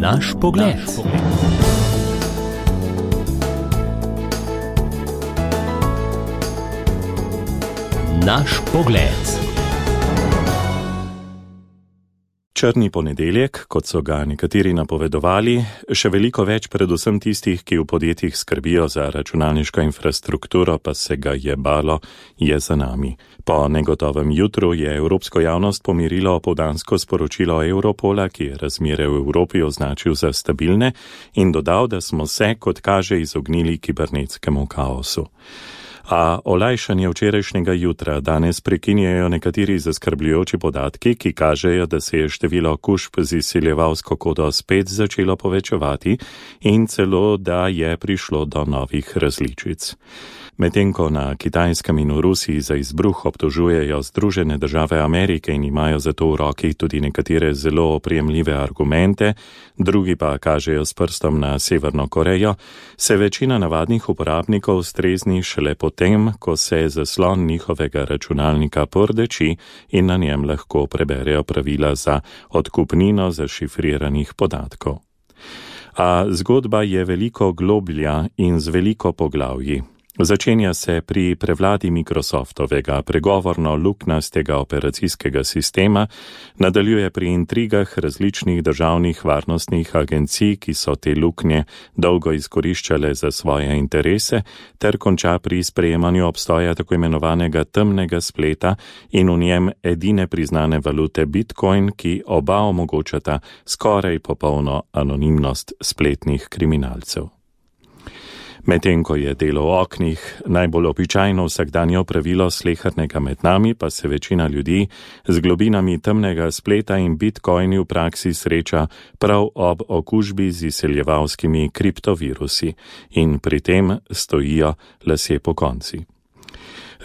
Naš pogled. Naš pogled. Črni ponedeljek, kot so ga nekateri napovedovali, še veliko več predvsem tistih, ki v podjetjih skrbijo za računalniško infrastrukturo, pa se ga je balo, je za nami. Po negotovem jutru je evropsko javnost pomirilo opoldansko sporočilo Europola, ki je razmere v Evropi označil za stabilne in dodal, da smo se, kot kaže, izognili kibernetskemu kaosu. A olajšanje včerajšnjega jutra danes prekinjajo nekateri zaskrbljujoči podatki, ki kažejo, da se je število okužb z izsiljevalsko kodo spet začelo povečevati in celo, da je prišlo do novih različic. Medtem ko na Kitajskem in v Rusiji za izbruh obtožujejo Združene države Amerike in imajo zato v roki tudi nekatere zelo oprijemljive argumente, drugi pa kažejo s prstom na Severno Korejo, se večina navadnih uporabnikov strezni šele potem, ko se zaslon njihovega računalnika pordeči in na njem lahko preberejo pravila za odkupnino zašifriranih podatkov. A zgodba je veliko globlja in z veliko poglavji. Začenja se pri prevladi Microsoftovega pregovorno-luknastega operacijskega sistema, nadaljuje pri intrigah različnih državnih varnostnih agencij, ki so te luknje dolgo izkoriščale za svoje interese, ter konča pri sprejemanju obstoja tako imenovanega temnega spleta in v njem edine priznane valute Bitcoin, ki oba omogočata skoraj popolno anonimnost spletnih kriminalcev. Medtem ko je delo v oknih najbolj običajno vsakdanje pravilo slehernega med nami, pa se večina ljudi z globinami temnega spleta in bitcoini v praksi sreča prav ob okužbi z izsiljevalskimi kriptovirusi in pri tem stojijo lasje pokonci.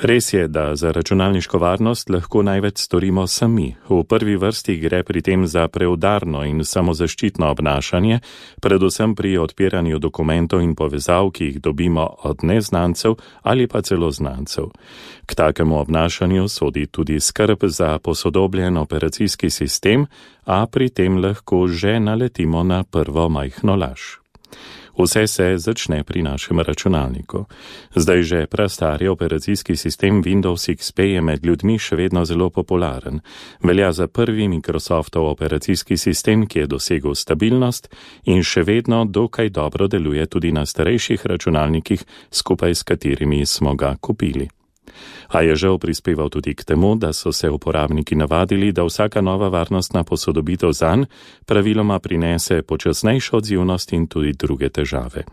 Res je, da za računalniško varnost lahko največ storimo sami. V prvi vrsti gre pri tem za preudarno in samozaščitno obnašanje, predvsem pri odpiranju dokumentov in povezav, ki jih dobimo od neznancev ali pa celo znancev. K takemu obnašanju sodi tudi skrb za posodobljen operacijski sistem, a pri tem lahko že naletimo na prvo majhno laž. Vse se začne pri našem računalniku. Zdaj že prastari operacijski sistem Windows XP je med ljudmi še vedno zelo popularen. Velja za prvi Microsoftov operacijski sistem, ki je dosegel stabilnost in še vedno dokaj dobro deluje tudi na starejših računalnikih, skupaj s katerimi smo ga kupili. A je žal prispeval tudi k temu, da so se uporabniki navadili, da vsaka nova varnostna posodobitev zanj praviloma prinese počasnejšo odzivnost in tudi druge težave.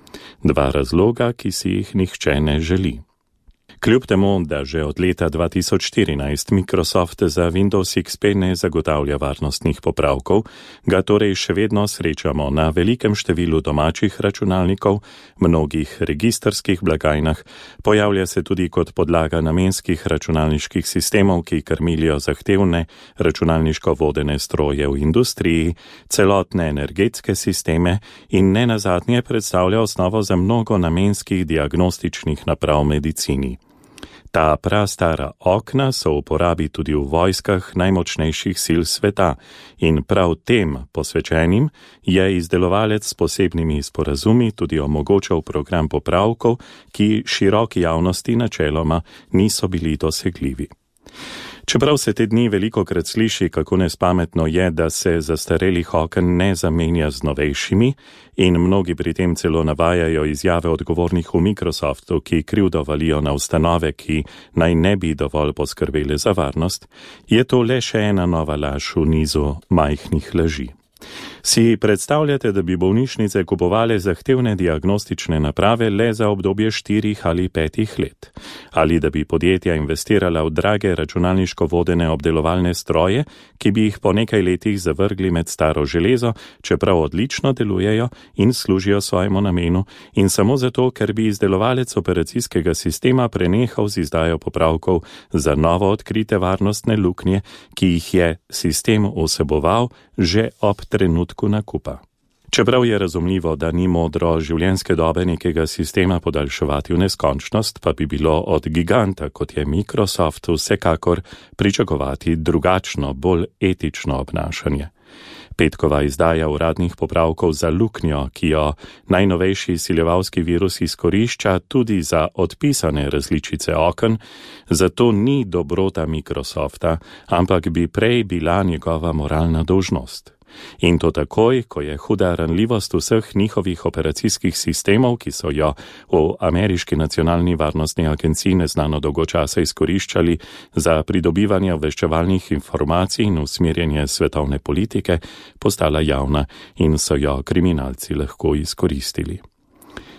Dva razloga, ki si jih nihče ne želi. Kljub temu, da že od leta 2014 Microsoft za Windows XP ne zagotavlja varnostnih popravkov, ga torej še vedno srečamo na velikem številu domačih računalnikov, mnogih registrskih blagajnah, pojavlja se tudi kot podlaga namenskih računalniških sistemov, ki krmilijo zahtevne računalniško vodene stroje v industriji, celotne energetske sisteme in nenazadnje predstavlja osnovo za mnogo namenskih diagnostičnih naprav v medicini. Ta prastara okna so v uporabi tudi v vojskah najmočnejših sil sveta in prav tem posvečenim je izdelovalec s posebnimi sporazumi tudi omogočal program popravkov, ki široki javnosti načeloma niso bili dosegljivi. Čeprav se te dni velikokrat sliši, kako nespametno je, da se zastarelih oken ne zamenja z novejšimi in mnogi pri tem celo navajajo izjave odgovornih v Microsoftu, ki krivdo valijo na ustanove, ki naj ne bi dovolj poskrbele za varnost, je to le še ena nova laž v nizu majhnih laži. Si predstavljate, da bi bolnišnice kupovale zahtevne diagnostične naprave le za obdobje 4 ali 5 let? Ali da bi podjetja investirala v drage računalniško vodene obdelovalne stroje, ki bi jih po nekaj letih zavrgli med staro železo, čeprav odlično delujejo in služijo svojemu namenu, in samo zato, ker bi izdelovalec operacijskega sistema prenehal z izdajo popravkov za novo odkrite varnostne luknje, ki jih je sistem vseboval že ob trenutku nakupa. Čeprav je razumljivo, da ni modro življenjske dobe nekega sistema podaljševati v neskončnost, pa bi bilo od giganta, kot je Microsoft, vsekakor pričakovati drugačno, bolj etično obnašanje. Petkova izdaja uradnih popravkov za luknjo, ki jo najnovejši siljevalski virus izkorišča tudi za odpisane različice oken, zato ni dobrota Microsofta, ampak bi prej bila njegova moralna dolžnost. In to takoj, ko je huda ranljivost vseh njihovih operacijskih sistemov, ki so jo v ameriški nacionalni varnostni agenciji neznano dolgo časa izkoriščali za pridobivanje obveščevalnih informacij in usmerjanje svetovne politike, postala javna in so jo kriminalci lahko izkoristili.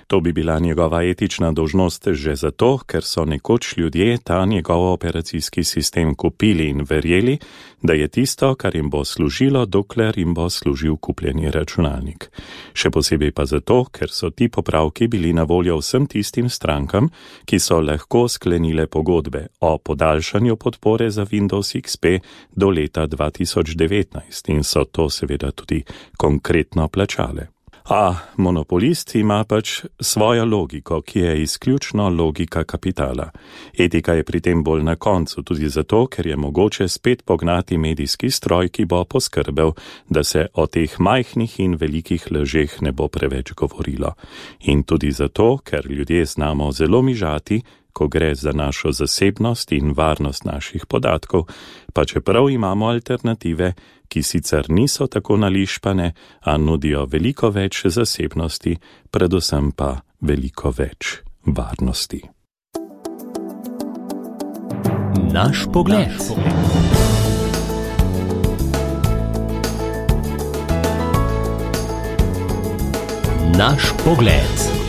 To bi bila njegova etična dolžnost že zato, ker so nekoč ljudje ta njegov operacijski sistem kupili in verjeli, da je tisto, kar jim bo služilo, dokler jim bo služil kupljeni računalnik. Še posebej pa zato, ker so ti popravki bili na voljo vsem tistim strankam, ki so lahko sklenile pogodbe o podaljšanju podpore za Windows XP do leta 2019 in so to seveda tudi konkretno plačale. A monopolist ima pač svojo logiko, ki je izključno logika kapitala. Etika je pri tem bolj na koncu, tudi zato, ker je mogoče spet pognati medijski stroj, ki bo poskrbel, da se o teh majhnih in velikih lažeh ne bo preveč govorilo. In tudi zato, ker ljudje znamo zelo mižati, ko gre za našo zasebnost in varnost naših podatkov, pa čeprav imamo alternative, ki sicer niso tako nališpane, a nudijo veliko več zasebnosti, predvsem pa veliko več varnosti. Naš pogled. Naš pogled.